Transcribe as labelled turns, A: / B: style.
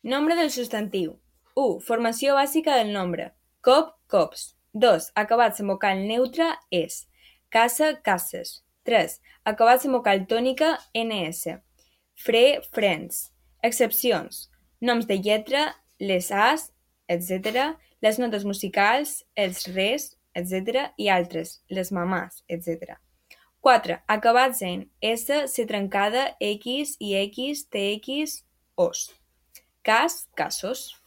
A: Nombre del substantiu. 1. Formació bàsica del nombre. Cop, cops. 2. Acabats en vocal neutra, es. Casa, cases. 3. Acabats en vocal tònica, ns. Fre, frens. Excepcions. Noms de lletra, les as, etc. Les notes musicals, els res, etc. I altres, les mamàs, etc. 4. Acabats en S, C trencada, X, IX, TX, os. Cas, casos.